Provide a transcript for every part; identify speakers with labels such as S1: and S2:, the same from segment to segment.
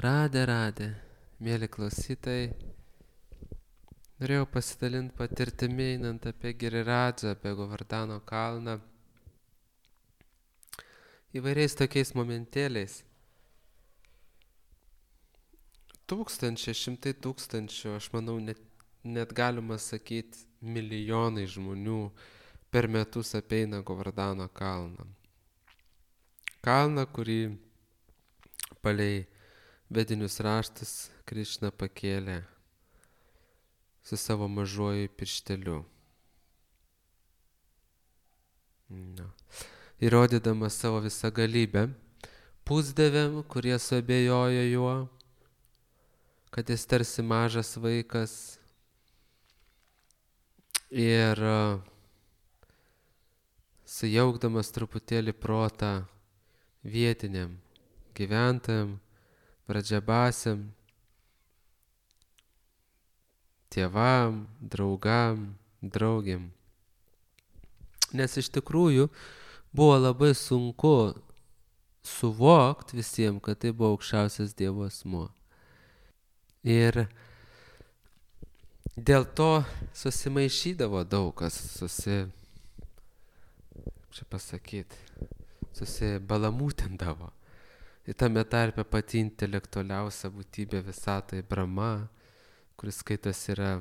S1: Radė, mėly klausytojai. Norėjau pasidalinti patirtimi einant apie Giriradzą, apie Govardhano kalną. Įvairiais tokiais momentėliais. Šimtai tūkstančių, aš manau, net galima sakyti, milijonai žmonių per metus apeina Govardhano kalną. Kalną, kurį palei vedinius raštus Krišna pakėlė su savo mažuoju piršteliu. Įrodydamas savo visą galybę pusdieviam, kurie suabejojo juo, kad jis tarsi mažas vaikas, ir sujaukdamas truputėlį protą vietiniam gyventojam, pradžiabasiam, tėvam, draugam, draugiam. Nes iš tikrųjų buvo labai sunku suvokti visiems, kad tai buvo aukščiausias Dievo asmuo. Ir dėl to susimaišydavo daug kas, susibalamūtindavo. Ir tame tarpe pati intelektualiausia būtybė visatoje Brahma, kuris skaitos yra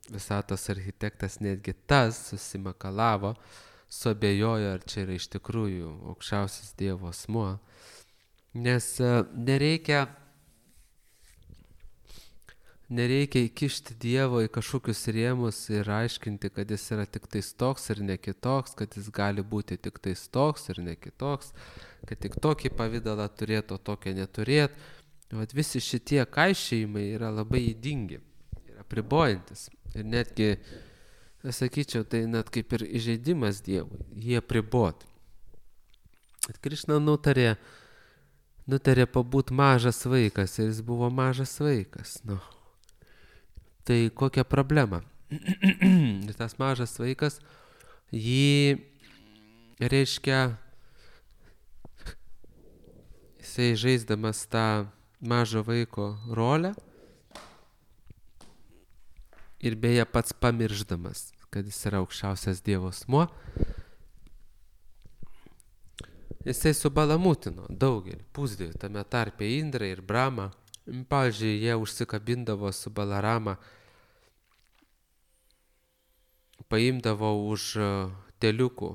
S1: visatos architektas, netgi tas susimakalavo, suabejojo, ar čia yra iš tikrųjų aukščiausias Dievo asmuo. Nes nereikia įkišti Dievo į kažkokius rėmus ir aiškinti, kad jis yra tik tais toks ir ne kitoks, kad jis gali būti tik tais toks ir ne kitoks, kad tik tokį pavydalą turėtų, o tokio neturėtų. Vat visi šitie kaišėjimai yra labai ydingi, yra apribojantis. Ir netgi, sakyčiau, tai net kaip ir įžeidimas Dievui, jie apriboti. Krišna nutarė pabūti mažas vaikas ir jis buvo mažas vaikas. Tai kokia problema? Tas mažas vaikas, jį reiškia, jisai žaisdamas tą mažo vaiko rolę ir beje pats pamirždamas, kad jis yra aukščiausias Dievo asmuo, jisai subalamūtino daugelį pusdievių, tame tarpe Indrą ir Brahmą. Pavyzdžiui, jie užsikabindavo su Balarama, paimdavo už teliukų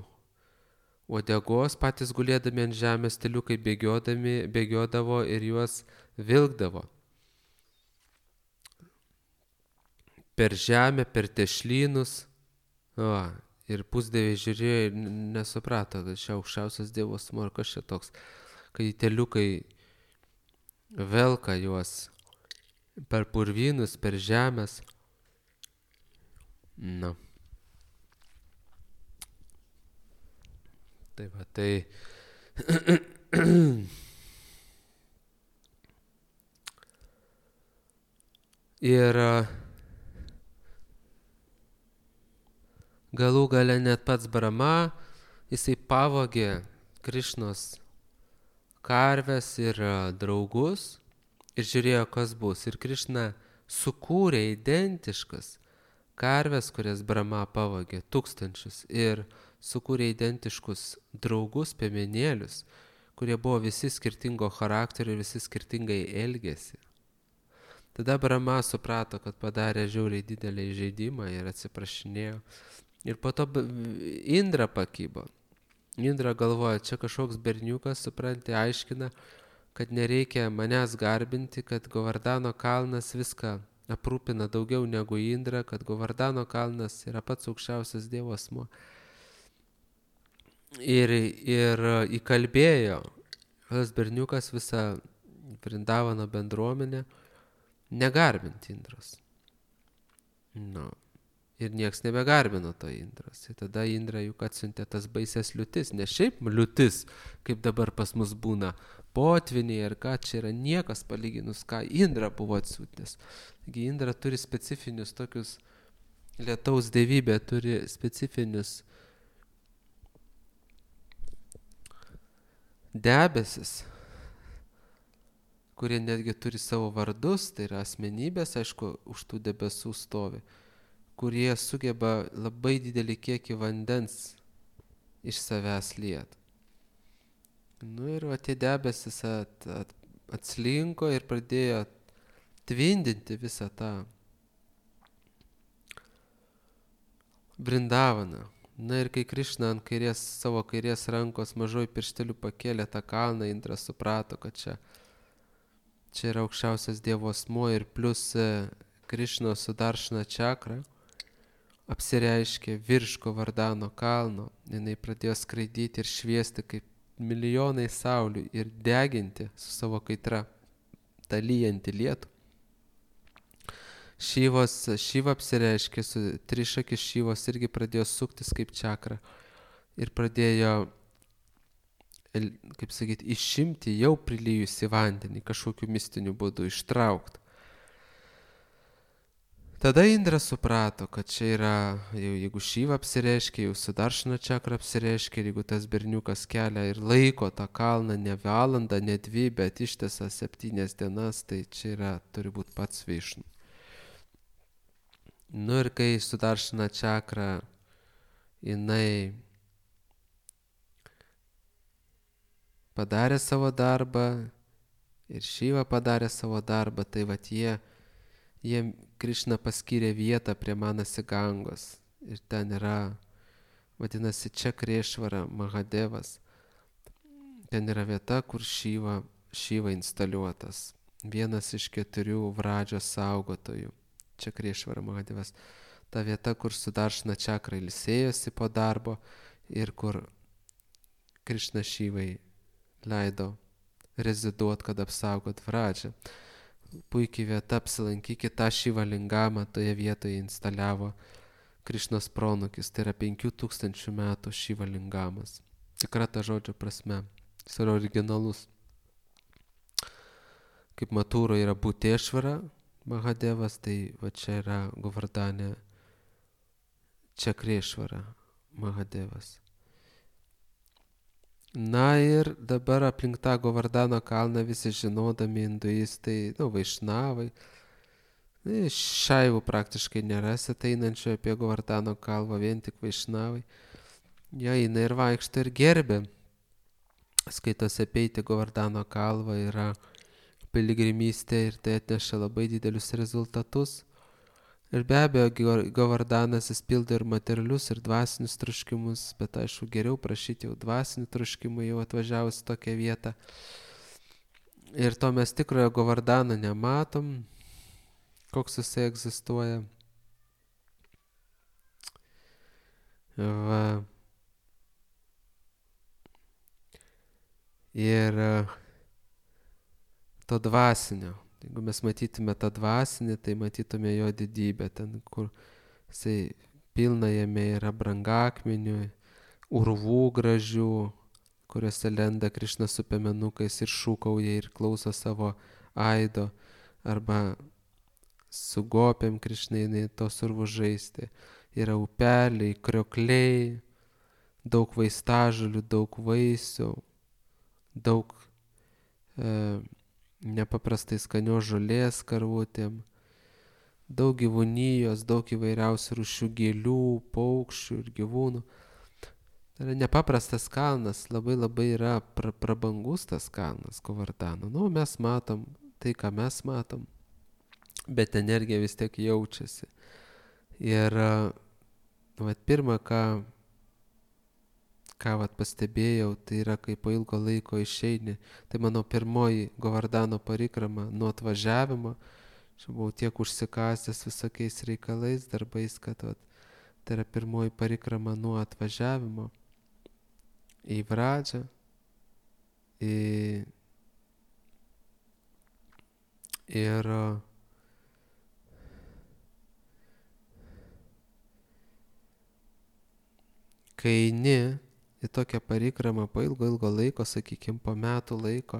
S1: uodegos, patys gulėdami ant žemės, teliukai bėgiodavo ir juos vilkdavo per žemę, per tešlynus. Ir pusdieviai žiūrėjo ir nesuprato, kad čia aukščiausias Dievo asmuo, kas čia toks, kai teliukai velka juos per purvynus, per žemės. Tai va, tai ir galų gale net pats Brahma, jisai pavogė Krišnos karves ir draugus ir žiūrėjo, kas bus. Ir Krišna sukūrė identiškas karves, kurias Brahma pavogė, tūkstančius, ir sukūrė identiškus draugus, piemenėlius, kurie buvo visi skirtingo charakterio ir visi skirtingai elgėsi. Tada Brahma suprato, kad padarė žiauriai didelį įžeidimą ir atsiprašinėjo. Ir po to Indra pakybo. Indra galvoja, čia kažkoks berniukas, supranti, aiškina, kad nereikia manęs garbinti, kad Govardhano kalnas viską aprūpina daugiau negu Indra, kad Govardhano kalnas yra pats aukščiausias Dievo asmuo. Ir įkalbėjo tas berniukas visą Vrindavano bendruomenę negarbinti Indros. Ir nieks nebegarbino to Indros. Ir tada Indra juk atsiuntė tas baises liūtis. Ne šiaip liūtis, kaip dabar pas mus būna potviniai ar ką, čia yra niekas palyginus, ką Indra buvo atsiuntęs. Taigi Indra turi specifinius tokius, lietaus dievybė turi specifinius debesis, kurie netgi turi savo vardus, tai yra asmenybės, aišku, už tų debesų stovi, kurie sugeba labai didelį kiekį vandens iš savęs liet. Nu ir va tie debesis atslinko ir pradėjo tvindinti visą tą Vrindavaną. Na ir kai Krišna ant savo kairės rankos mažoj piršteliu pakėlė tą kalną, Indras suprato, kad čia yra aukščiausias Dievo asmuo ir plus Krišnos Sudaršana čakra apsireiškė virš Govardhano kalno. Jinai pradėjo skraidyti ir šviesti kaip milijonai saulių ir deginti su savo kaitra tą lyjantį lietų. Šyva apsireiškė, trišakis Šyvos irgi pradėjo suktis kaip čakra ir pradėjo, kaip sakyti, išimti jau prilyjusi vandenį, kažkokiu mistiniu būdu ištraukti. Tada Indras suprato, kad čia yra, jeigu Šyva apsireiškė, jau Sudaršana čakra apsireiškė, jeigu tas berniukas kelia ir laiko tą kalną ne valandą, ne 2, bet ištesą 7 dienas, tai čia yra, turi būti pats Višnu. Nu ir kai Sudaršana čakra jinai padarė savo darbą ir Šyva padarė savo darbą, tai vat jie Krišna paskyrė vietą prie Manasi Gangos ir ten yra, vadinasi, Čakrešvara Mahadevas. Ten yra vieta, kur Šyva instaliuotas, vienas iš 4 Vradžios saugotojų. Čakrešvara Mahadevas. Ta vieta, kur Sudaršana čakra ilsėjosi po darbo ir kur Krišna Šyvai leido reziduot, kad apsaugot Vradžią. Puikiai vieta, apsilankykit, tą Šyva lingamą toje vietoje instaliavo Krišnos pronukis, tai yra 5000 metų Šyva lingamas. Tikra ta žodžio prasme, jis yra originalus. Kaip Matūro yra Butešvara Mahadevas, tai va čia yra Govardhane Čakrešvara Mahadevas. Na ir dabar aplink tą Govardhano kalną visi žinodami hinduistai, vaišnavai, šaivų praktiškai nerasit einančių apie Govardhano kalvą, vien tik vaišnavai. Jie eina ir vaikšto ir gerbė. Skaitosi apeiti Govardhano kalvą yra piligrimystė ir tai atneša labai didelius rezultatus. Ir be abejo, Govardhanas jis pildo ir materialius, ir dvasinius troškimus, bet aišku, geriau prašyti jau dvasinių troškimų jau atvažiavus tokią vietą. Ir to mes tikrojo Govardhano nematom, koks jisai egzistuoja. Va. Ir to dvasinio. Jeigu mes matytume tą dvasinį, tai matytume jo didybę, ten, kur jisai pilna jame yra brangakmenių, urvų gražių, kuriuose lenda Krišna su piemenukais ir šūkauja ir klauso savo aido, arba su gopėm Krišna jinai tos urvus žaisti. Yra upeliai, kriokliai, daug vaistažolių, daug vaisių, daug nepaprastai skanios žolės karvutėm, daug gyvūnijos, daug įvairiausių rūšių gėlių, paukščių ir gyvūnų. Tai yra nepaprastas kalnas, labai yra prabangus tas kalnas Govardhano. Mes matom tai, ką mes matom, bet energija vis tiek jaučiasi. Ir pirmą, ką pastebėjau, tai yra, kai po ilgo laiko išeini. Tai mano pirmoji Govardhano parikrama nuo atvažiavimo. Aš buvau tiek užsikasęs visokiais reikalais, darbais, kad tai yra pirmoji parikrama nuo atvažiavimo į Vradžią. Ir kai eini į tokią parikramą po ilgo laiko, sakykime, po metų laiko,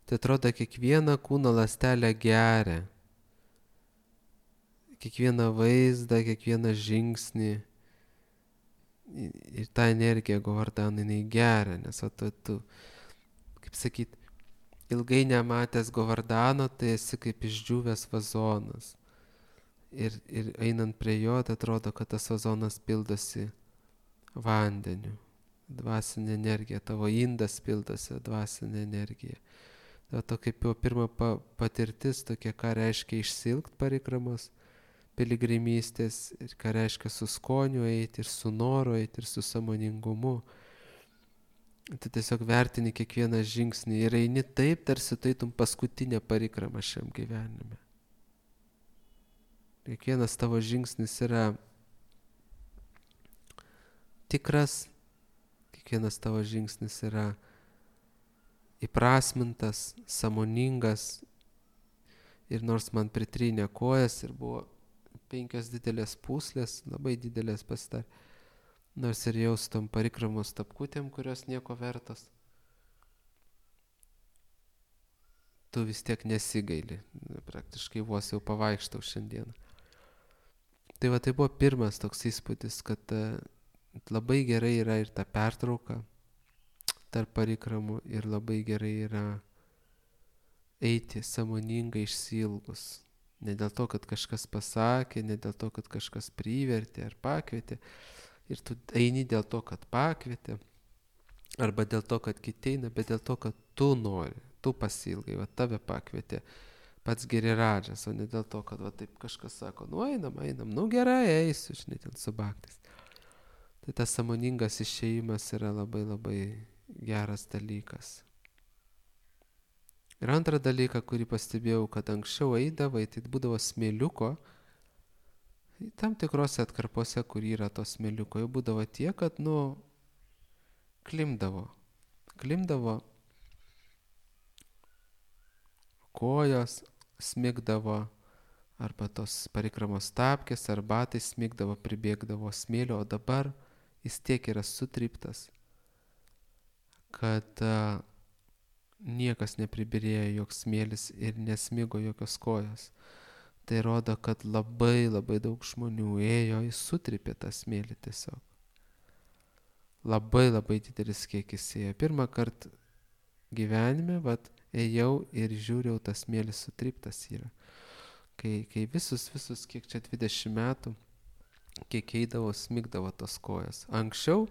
S1: tai atrodo kiekvieną kūno ląstelę geria. Kiekvieną vaizdą, kiekvieną žingsnį. Ir tą energiją Govardhano jinai geria, nes tu, kaip sakyt, ilgai nematęs Govardano, tai esi kaip išdžiūvęs vazonas. Ir einant prie jo, tai atrodo, kad tas vazonas pildosi vandeniu, dvasinė energija, tavo indas pildosi dvasinė energija. Dėl to kaip jau pirma patirtis tokia, ką reiškia išsilgt parikramos piligrimystės, ir ką reiškia su skoniu eiti, ir su noru eiti, ir su sąmoningumu. Tu tiesiog vertini kiekvieną žingsnį ir eini taip, tarsi taitum paskutinė parikrama šiam gyvenime. Kiekvienas tavo žingsnis yra tikras, kiekvienas tavo žingsnis yra įprasmintas, sąmoningas. Ir nors man pritrynė kojas ir buvo 5 didelės pūslės, labai didelės pasidarė, nors ir jaustom parikramos tapkutėm, kurios nieko vertos, tu vis tiek nesigaili. Praktiškai vos jau pavaikštau šiandieną. Tai va, tai buvo pirmas toks įspūdis, kad labai gerai yra ir ta pertrauka tarp parikramų, ir labai gerai yra eiti sąmoningai išsiilgus. Ne dėl to, kad kažkas pasakė, ne dėl to, kad kažkas privertė ar pakvietė. Ir tu eini dėl to, kad pakvietė, arba dėl to, kad kiti eina, bet dėl to, kad tu nori, tu pasiilgai, va tave pakvietė pats Giriradžas, o ne dėl to, kad va taip kažkas sako, nu einam, nu gerai, eisiu, žinai, ten su baktais. Tai tas sąmoningas išėjimas yra labai labai geras dalykas. Ir antrą dalyką, kurį pastebėjau, kad anksčiau eidavai, tai būdavo smėliuko, tam tikrose atkarpose, kur yra to smėliuko, jau būdavo tiek, kad, klimdavo kojos, smigdavo, arba tos parikramos tapkės, ar batai smigdavo, pribėgdavo smėlio, o dabar jis tiek yra sutryptas, kad niekas nepribirėjo joks smėlis ir nesmigo jokios kojos. Tai rodo, kad labai labai daug žmonių ėjo, jis sutrypė tą smėlį tiesiog. Labai labai didelis kiekis ėjo. Pirmą kartą gyvenime, ėjau ir žiūrėjau, tas smėlis sutryptas yra. Kai visus, kiek čia 20 metų, kiek eidavo, smigdavo tos kojas. Anksčiau,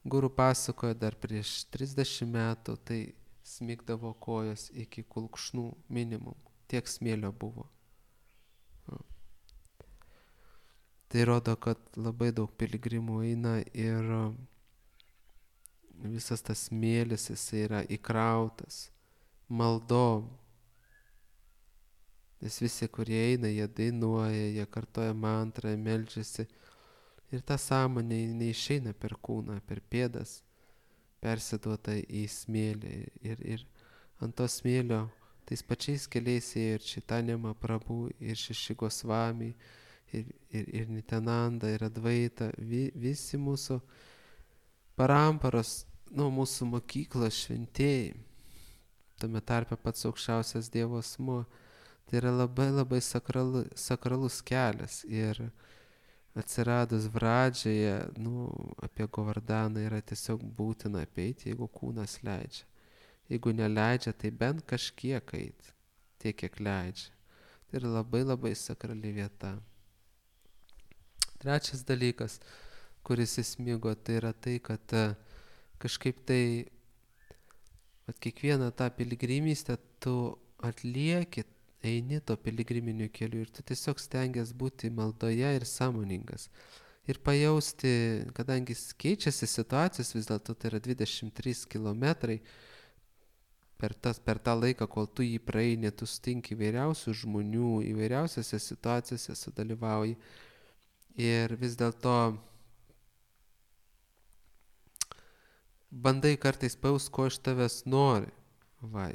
S1: guru pasakojo, dar prieš 30 metų, tai smigdavo kojas iki kulkšnų minimum. Tiek smėlio buvo. Tai rodo, kad labai daug piligrimų eina ir visas tas smėlis, jis yra įkrautas maldom. Nes visi, kurie eina, jie dainuoja, jie kartoja mantrą, meldžiasi. Ir ta sąmonė neišeina per kūną, per pėdas, persiduota į smėlį. Ir ant to smėlio tais pačiais keliais ėjo ir Čaitanija Mahaprabhu, ir Šeši Gosvami, ir Nityananda, ir Advaita, visi mūsų paramparos, mūsų mokyklos šventėjai, tame tarpe pats aukščiausias Dievo asmuo. Tai yra labai labai sakralus kelias, ir atsiradus Vradžioje, apie Govardaną yra tiesiog būtina apeiti, jeigu kūnas leidžia. Jeigu neleidžia, tai bent kažkiek eit, tiek kiek leidžia. Tai yra labai labai sakrali vieta. Trečias dalykas, kuris įsmigo, tai yra tai, kad kažkaip tai kiekvieną tą piligrimystę tu atlieki, eini to piligriminiu keliu, ir tu tiesiog stengiasi būti maldoje ir sąmoningas. Ir pajausti, kadangi keičiasi situacijos, vis dėlto tai yra 23 kilometrai, per tą laiką, kol tu jį praeini, tu sutinki įvairiausių žmonių, įvairiausiose situacijose sudalyvauji. Ir vis dėlto bandai kartais pajaust, ko iš tavęs nori.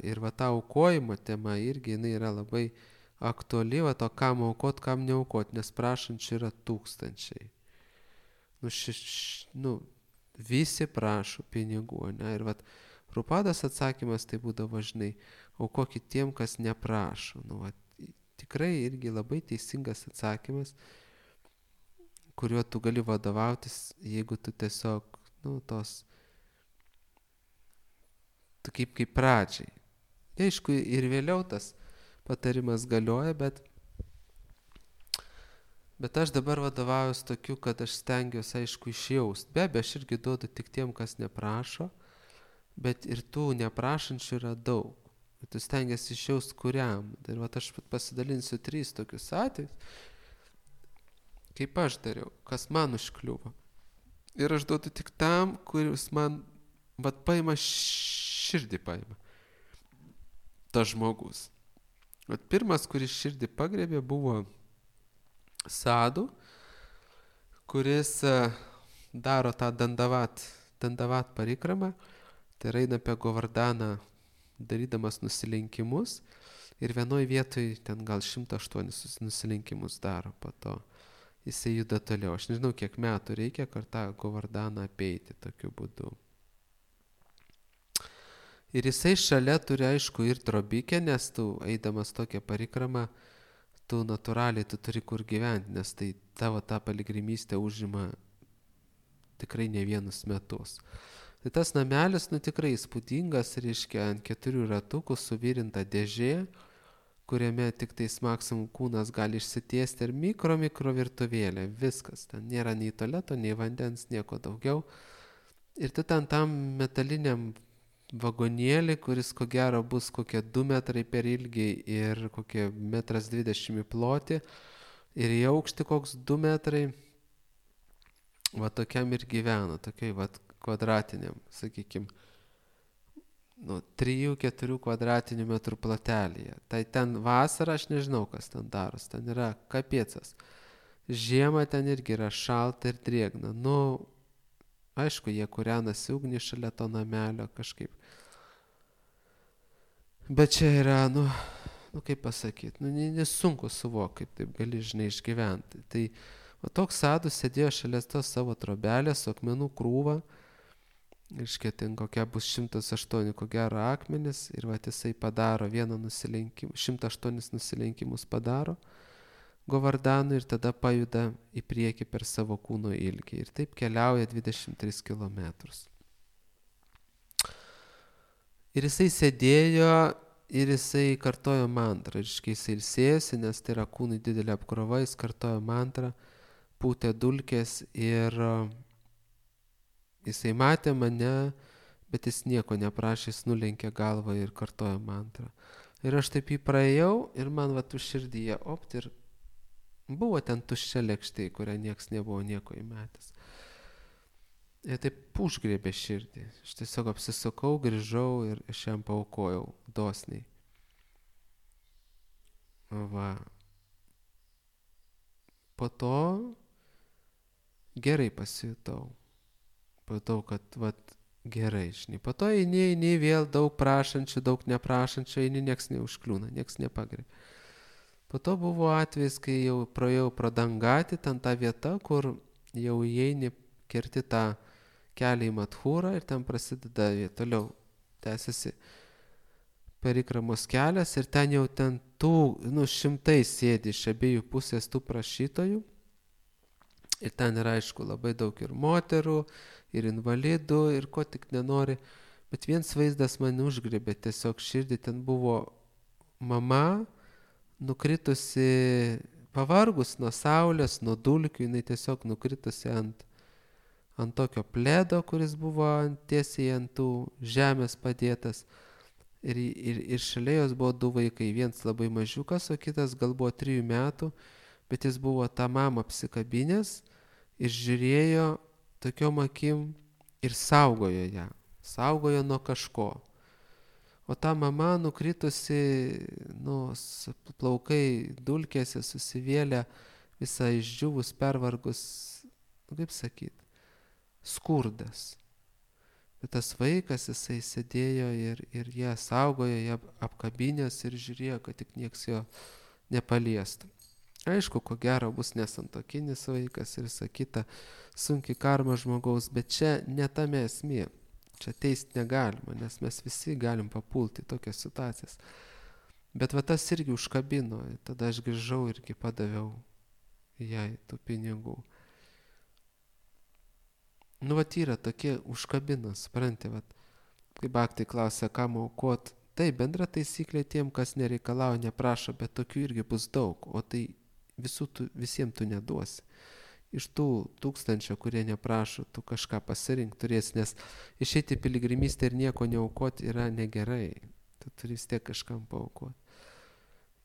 S1: Ir ta aukojimo tema irgi jinai yra labai aktuali, o kam aukot, kam neaukot, nes prašančių yra tūkstančiai. Visi prašo pinigų, ne? Ir Prabhupados atsakymas tai būdavo, žinai, aukokit tiem, kas neprašo. Tikrai irgi labai teisingas atsakymas, kuriuo tu gali vadovautis, jeigu tu tiesiog, tu kaip pradžiai. Aišku, ir vėliau tas patarimas galioja, bet aš dabar vadovaujuosi tokiu, kad aš stengiuosi, aišku, išjaust. Be abejo, aš irgi duodu tik tiem, kas neprašo, bet ir tų neprašančių yra daug. Ir tu stengiasi išjaust kuriam. Ir vat aš pasidalinsiu 3 tokius atvejus, kaip aš dariau, kas man užkliuvo. Ir aš duodu tik tam, kuris man vat paima širdį paima. Tas žmogus. Vat pirmas, kuris širdį pagrebė, buvo Sadu, kuris daro tą dandavat parikramą, tai eina apie Govardaną darydamas nusilenkimus ir vienoj vietoj ten gal 108 nusilenkimus daro, po to jisai juda toliau. Aš nežinau, kiek metų reikia, kad tą Govardaną apeiti tokiu būdu. Ir jisai šalia turi, aišku, ir drobikę, nes tu eidamas tokią parikramą, tu natūraliai tu turi kur gyventi, nes tai tavo ta piligrimystė užima tikrai ne vienus metus. Tai tas namelis, tikrai įspūdingas, reiškia, ant 4 ratukų suvirinta dėžė, kuriame tik tais maksimum kūnas gali išsitiesti ir mikro virtuvėlė, viskas. Ten nėra nei tualeto, nei vandens, nieko daugiau. Ir tu ten tam metaliniam vagonėlį, kuris ko gero bus kokie 2 metrai per ilgį ir kokie 1,20 m į plotį ir į aukštį koks 2 metrai, va tokiam ir gyvena, tokiai va kvadratiniam, sakykime, 3-4 kvadratinių metrų plotelėje. Tai ten vasarą aš nežinau, kas ten daros, ten yra kapiecas. Žiemą ten irgi yra šalta ir drėgna. Aišku, jie kūrenasi ugnį šalia to namelio kažkaip. Bet čia yra, kaip pasakyti, nesunku suvokti, kaip taip gali, išgyventi. Tai toks Sadus sėdėjo šalia tos savo trobelės su akmenų krūva, reiškia, ten kokia bus 108 ko gero akmenis ir jisai padaro 108 nusilenkimus padaro Govardanui ir tada pajuda į priekį per savo kūno ilgį. Ir taip keliauja 23 kilometrus. Ir jisai sėdėjo ir jisai kartojo mantrą. Reiškia, jisai ilsėjosi, nes tai yra kūnui didelė apkrova, jis kartojo mantrą, pūtė dulkės ir jisai matė mane, bet jis nieko neprašė, jis nulenkė galvą ir kartojo mantrą. Ir aš taip jį praėjau ir man už širdyje opt ir buvo ten tuščia lėkštė, kurią nieks nebuvo nieko įmetęs. Ir taip užgriebė širdį. Aš tiesiog apsisukau, grįžau ir aš jam paaukojau dosniai. Va. Po to gerai pasijutau. Patau, kad gerai, žinai. Po to eini vėl daug prašančių, daug neprašančių, eini, nieks neužkliūna, nieks nepagriebė. Po to buvo atvejis, kai jau praėjau pro Dangatį, ten ta vieta, kur jau įeini, kerti tą kelią į Madhūrą ir ten prasideda toliau, tęsiasi perikramos kelias ir ten jau ten šimtai sėdi iš abiejų pusės tų prašytojų. Ir ten yra, aišku, labai daug ir moterų, ir invalidų, ir ko tik nenori. Bet vienas vaizdas mane užgriebė tiesiog širdį, ten buvo mama, nukritusi, pavargus nuo saulės, nuo dulkių, jinai tiesiog nukritusi ant tokio pledo, kuris buvo tiesiai ant tų žemės padėtas. Ir šalia jos buvo 2 vaikai, vienas labai mažiukas, o kitas gal buvo 3 metų, bet jis buvo tą mamą apsikabinęs ir žiūrėjo tokiom akim ir saugojo ją, saugojo nuo kažko. O ta mama nukritusi, plaukai dulkėse susivėlę, visą išdžiūvus, pervargus, kaip sakyti, skurdas. Bet tas vaikas, jisai sėdėjo ir ją saugojo, ją apkabinės ir žiūrėjo, kad tik nieks jo nepaliestų. Aišku, ko gero bus nesantuokinis vaikas ir sakyta, sunki karma žmogaus, bet čia ne tame esmė. Čia teist negalima, nes mes visi galim papulti tokias situacijas. Bet tas irgi užkabino, tada aš grįžau irgi padaviau jai tų pinigų. Yra tokie užkabina, supranti, kai baktai klausia, kam aukot, tai bendra taisyklė tiem, kas nereikalauja, neprašo, bet tokių irgi bus daug, o tai visiems tu neduosi. Iš tų 1000, kurie neprašo, tu kažką pasirink turėsi, nes išeiti piligrimystę ir nieko neaukoti yra negerai. Tu turi vis tiek kažkam paaukoti.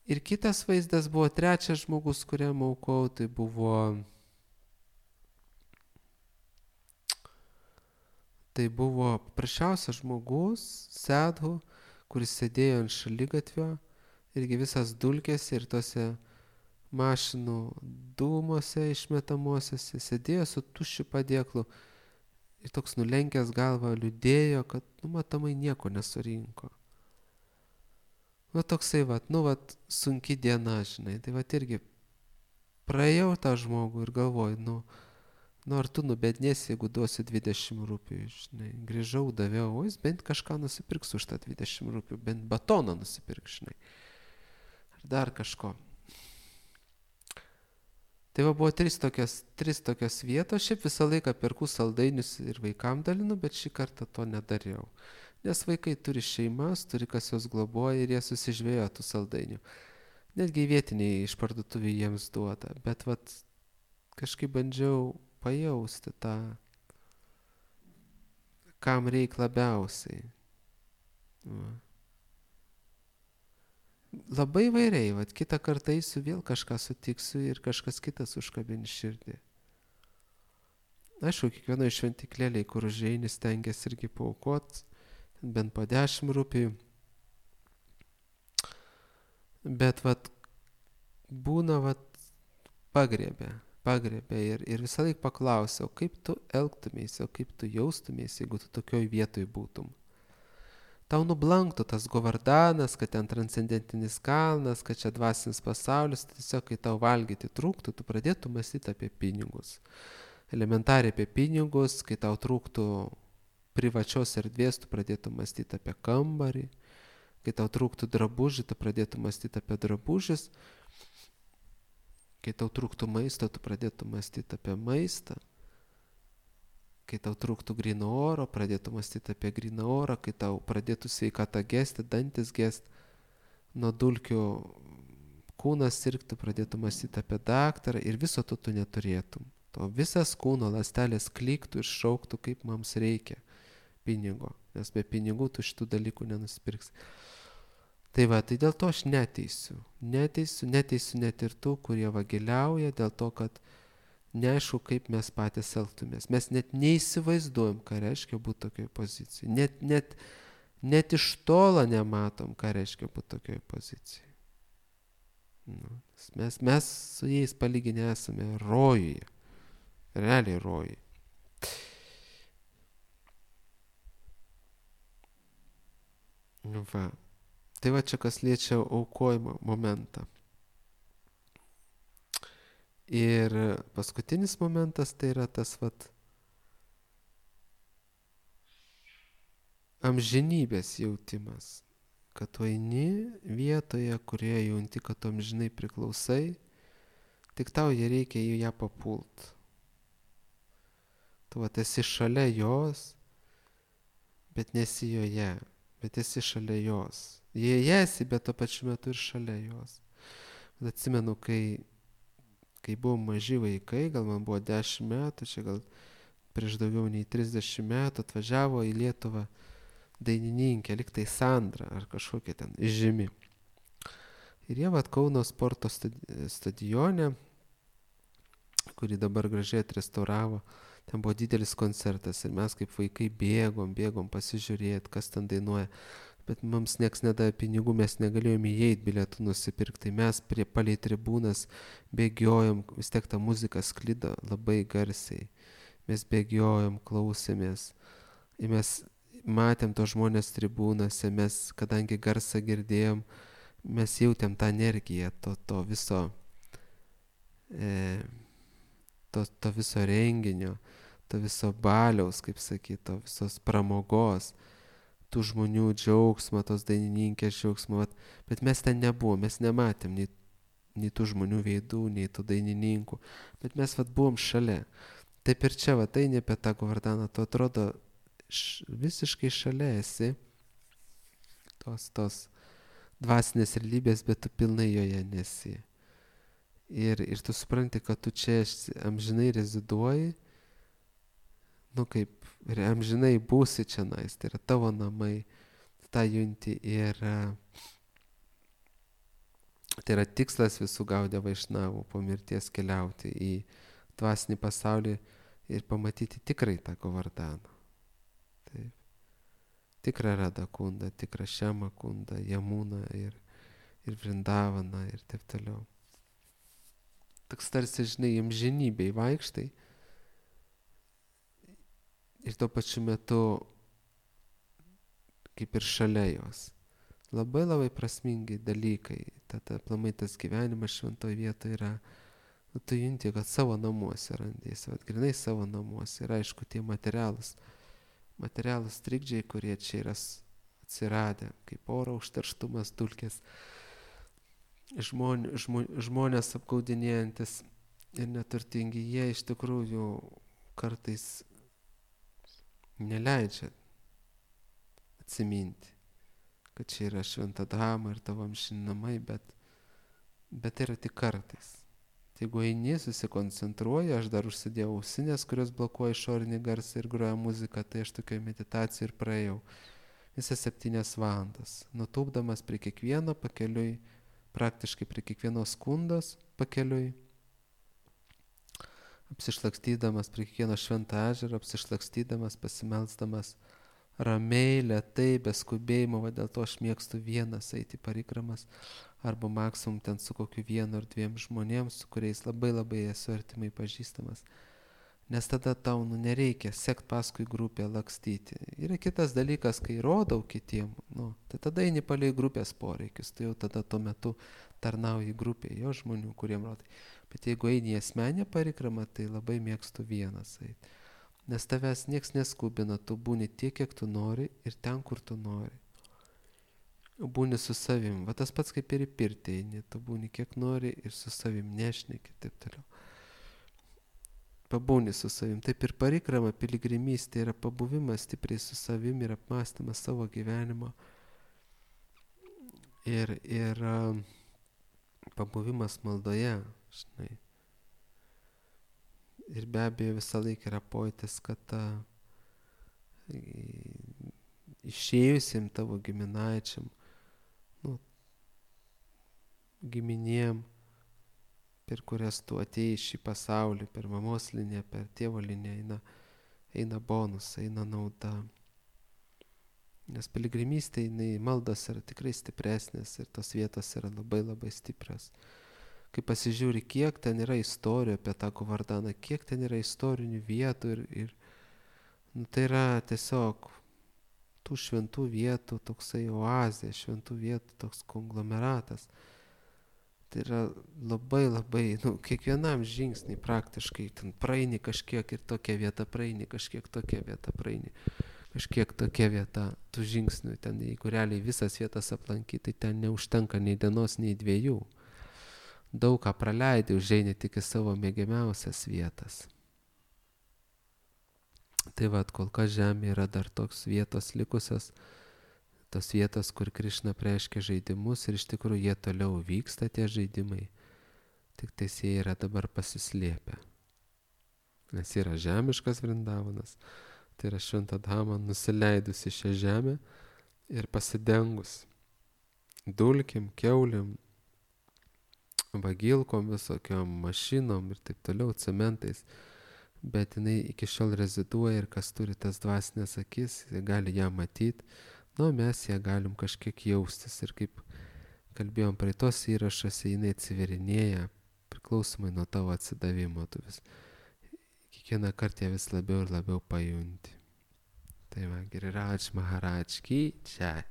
S1: Ir kitas vaizdas buvo 3 žmogus, kuriam aukau, tai buvo paprasčiausias žmogus, sadhu, kuris sėdėjo ant šaligatvio, irgi visas dulkėse ir tose mašinų dūmose išmetamosiose, sėdėjo su tuščiu padėklu ir toks nulenkęs galvą liūdėjo, kad, matomai nieko nesurinko. Toksai, sunki diena, žinai, tai irgi praėjau tą žmogų ir galvoju, ar tu nubednėsi, jeigu duosi 20 rupijų, žinai, grįžau, daviau, o jis bent kažką nusipirks už tą 20 rupijų, bent batoną nusipirks, žinai, ar dar kažko. Tai buvo 3 tokios vietos, šiaip visą laiką perku saldainius ir vaikam dalinu, bet šį kartą to nedariau. Nes vaikai turi šeimas, turi kas jos globoja ir jie susižvėjo tų saldainių. Netgi vietiniai iš parduotuvių jiems duoda, bet kažkaip bandžiau pajausti tą, kam reik labiausiai. Labai vairiai, kitą kartą eisiu, vėl kažką sutiksiu ir kažkas kitas užkabins širdį. Aišku, kiekvienoje šventiklėlėje, kur užeini, stengiasi irgi paaukoti, bent po 10 rupijų. Bet būna pagriebė ir visą laiką paklausiau, kaip tu elgtumėsi, kaip tu jaustumėsi, jeigu tu tokioj vietoj būtum. Tau nublanktų tas Govardanas, kad ten transcendentinis kalnas, kad čia dvasinis pasaulis, tiesiog kai tau valgyti trūktų, tu pradėtum mąstyti apie pinigus. Elementariai apie pinigus, kai tau trūktų privačios erdvės, tu pradėtum mąstyti apie kambarį, kai tau trūktų drabužį, tu pradėtum mąstyti apie drabužis, kai tau trūktų maisto, tu pradėtum mąstyti apie maistą, kai tau trūktų gryno oro, pradėtum mąstyti apie gryną orą, kai tau pradėtų sveikata gesti, dantis gesti, nuo dulkių kūnas sirgtų, pradėtum mąstyti apie daktarą ir viso to tu neturėtum. To visas kūno ląstelės kliktų ir šauktų, kaip mums reikia pinigo, nes be pinigų tu šitų dalykų nenusipirksi. Tai dėl to aš neteisiu net ir tų, kurie vagiliauja, dėl to, kad neaišku, kaip mes patys elgtumės. Mes net neįsivaizduojam, ką reiškia būti tokioj pozicijai. Net iš tolo nematom, ką reiškia būti tokioj pozicijai. Mes su jais palyginę esame rojuje. Realiai rojuje. Tai čia kas liečia aukojimo momentą. Ir paskutinis momentas tai yra tas amžinybės jautimas, kad tu eini vietoje, kurioje jauti, kad tu amžinai priklausai, tik tau reikia į ją papult. Tu esi šalia jos, bet nesi joje, bet esi šalia jos. Joje esi, bet tuo pačiu metu ir šalia jos. Atsimenu, kai buvom maži vaikai, gal man buvo 10 metų, čia gal prieš daugiau nei 30 metų atvažiavo į Lietuvą dainininkė, lyg tai Sandra ar kažkokia ten žymi. Ir jie Kauno sporto stadione, kurį dabar gražiai atrestauravo, ten buvo didelis koncertas ir mes kaip vaikai bėgom pasižiūrėti, kas ten dainuoja. Bet mums nieks nedavė pinigų, mes negalėjome įeiti bilietų nusipirkti. Tai mes palei tribūnas bėgiojom, vis tiek ta muzika sklido labai garsiai. Mes bėgiojom, klausėmės. Ir mes matėm to žmonės tribūnose, mes, kadangi garsą girdėjom, mes jautėm tą energiją, to viso renginio, to viso baliaus, kaip sakyt, to visos pramogos, tų žmonių džiaugsmą, tos dainininkės džiaugsmą, bet mes ten nebuvom, mes nematėm nei tų žmonių veidų, nei tų dainininkų, bet mes buvom šalia. Taip ir čia, eini apie tą Govardaną, tu atrodo visiškai šalia esi, tos dvasinės realybės, bet tu pilnai joje nesi. Ir tu supranti, kad tu čia amžinai reziduoji, kaip ir amžinai būsi čionais, tai yra tavo namai, tą junti ir tai yra tikslas visų Gaudiya Vaišnavų po mirties keliauti į dvasinį pasaulį ir pamatyti tikrai tą Govardaną. Taip. Tikrą Radha Kundą, tikrą Šiamą Kundą, Jamuną ir Vrindavaną ir taip toliau. Toks tarsi, žinai, amžinybėj vaikštai ir tuo pačiu metu kaip ir šalia jos. Labai labai prasmingi dalykai. Tada aplamai tas gyvenimas šventoje vietoje yra, tu junti, kad savo namuose randėsi, grinai savo namuose. Ir aišku, tie materialūs trikdžiai, kurie čia yra atsiradę, kaip oro užterštumas, dulkės, žmonės apgaudinėjantis ir neturtingi, jie iš tikrųjų kartais neleidžia atsiminti, kad čia yra šventa drama ir tavo amžini namai, bet tai yra tik kartais. Tai jeigu eini, susikoncentruoji, aš dar užsidėjau ausinės, kurios blokuoja išorinį garsą ir groja muziką, tai aš tokioj meditacijai ir praėjau visas 7 valandas, nutūpdamas prie kiekvieno pakeliui, praktiškai prie kiekvienos kundos pakeliui, apsišlakstydamas prie kiekvieno švento ežero, apsišlakstydamas, pasimelsdamas ramiai, lėtai, be skubėjimo, dėl to aš mėgstu vienas eiti parikramas, arba maksimum ten su kokiu 1 ar 2 žmonėms, su kuriais labai labai esu artimai pažįstamas. Nes tada tau nereikia sekt paskui grupę, lakstyti. Yra kitas dalykas, kai rodau kitiem, tai tada eini palei grupės poreikius, tai jau tada tuo metu tarnauji grupėje, jo žmonių, kuriem rodai. Bet jeigu eini į asmenę parikramą, tai labai mėgstu vienas eiti. Nes tavęs nieks neskubina, tu būni tiek, kiek tu nori ir ten, kur tu nori. Būni su savim. Va tas pats kaip ir į pirtį eini, tu būni kiek nori ir su savim nešneki, taip toliau. Pabūni su savim. Taip ir parikrama, piligrimystė yra pabuvimas stipriai su savim ir apmąstymas savo gyvenimo. Ir pabuvimas maldoje, žinai. Ir be abejo visą laiką yra pojūtis, kad išėjusim tavo giminaičiam, giminėm, per kurias tu atėjai šį pasaulį, per mamos liniją, per tėvo liniją, eina bonus, eina nauda. Nes piligrimystė, maldos yra tikrai stipresnės ir tos vietos yra labai labai stiprios. Kai pasižiūri, kiek ten yra istorijų apie tą Govardaną, kiek ten yra istorinių vietų ir tai yra tiesiog tų šventų vietų toksai oazė, šventų vietų toks konglomeratas. Tai yra labai labai, kiekvienam žingsnį praktiškai ten praeini kažkiek ir tokia vieta praeini, kažkiek tokia vieta praeini, kažkiek tokia vieta tų žingsnių. Ten jeigu realiai visas vietas aplankyti, tai ten neužtenka nei dienos, nei 2. Daug ką praleidai, užeini tik į savo mėgiamiausias vietas. Tai kol kas žemė yra dar toks vietos likusios, tos vietos, kur Krišna reiškia žaidimus ir iš tikrųjų jie toliau vyksta tie žaidimai, tik tais jie yra dabar pasislėpę. Nes yra žemiškas Vrindavanas, tai yra šventa dhama nusileidusi šią žemę ir pasidengus dulkim, kiaulėm, vagilkom, visokiom mašinom ir taip toliau, cementais, bet jinai iki šiol reziduoja ir kas turi tas dvasinės akis, jie gali ją matyti, mes ją galim kažkiek jaustis ir kaip kalbėjom praeitos įrašuose, jinai atsiverinėja priklausomai nuo tavo atsidavimo, tu vis kiekvieną kartą ją vis labiau ir labiau pajunti. Tai Giriraj Maharaj ki jai.